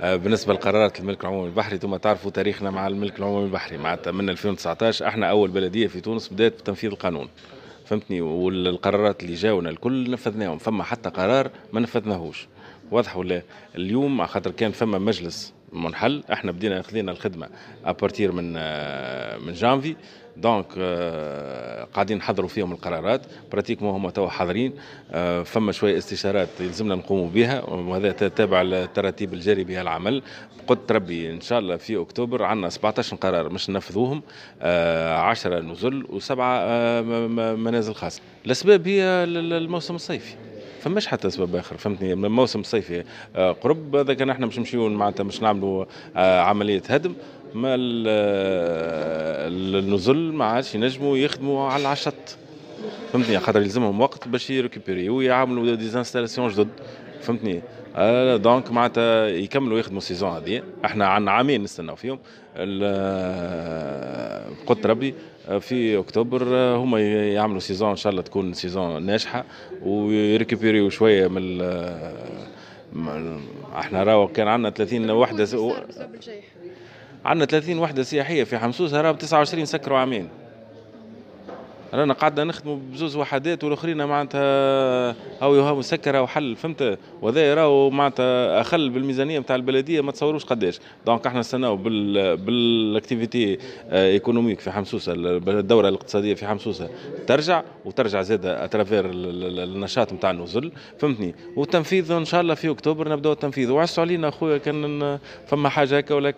بالنسبة لقرارات الملك العمومي البحري، انتم تعرفوا تاريخنا مع الملك العمومي البحري، معناتها من 2019 احنا اول بلديه في تونس بدات بتنفيذ القانون، فهمتني؟ والقرارات اللي جاونا الكل نفذناهم، فما حتى قرار ما نفذناهوش، واضح ولا؟ اليوم خاطر كان فما مجلس منحل، احنا بدينا خذينا الخدمة à partir من جانفي، donc قاعدين نحضروا فيهم القرارات، pratiquement هما توا حاضرين. فما شوية استشارات يلزمنا نقوموا بها، وهذا تابع للتراتيب الجاري بها العمل. قلت ربي ان شاء الله في اكتوبر عندنا 17 قرار مش ننفذوهم، 10 نزل وسبعة منازل خاصه. الاسباب هي الموسم الصيفي، فماش حتى اسباب اخر، فهمتني؟ الموسم الصيفي قرب، هذا كان احنا مش نمشيو معناتها مش نعملوا عملية هدم، ما النزل ما عادش ينجموا يخدموا على الشط، فهمتني؟ خاطر يلزمهم وقت باش ي récupérer ويعملوا des installations جدد، فهمتني؟ Donc معناتها يكملوا يخدموا ال saison هذه، احنا عندنا عامين نستناو فيهم. قلت ربي في اكتوبر هما يعملوا saison، ان شاء الله تكون saison ناجحة وي récupérer شوية من احنا راهو كان عندنا 30 وحده، عندنا 30 وحده سياحية في حمسوسه، راهو 29 سكروا عامين، رانا قعدنا نخدموا بزوز وحدات والاخرين معناتها هاو هاو مسكره وحل، فهمت؟ وهذا راهو معناتها اخل بالميزانيه نتاع البلديه، ما تصوروش قداش. donc احنا نستناو بال activité économique في حمسوسه، الدورة الاقتصادية في حمسوسه ترجع، وترجع زاده à travers النشاط نتاع النزل، فهمتني؟ والتنفيذ ان شاء الله في اكتوبر نبداو التنفيذ، وعسوا علينا اخويا كان فما حاجة هكا ولك.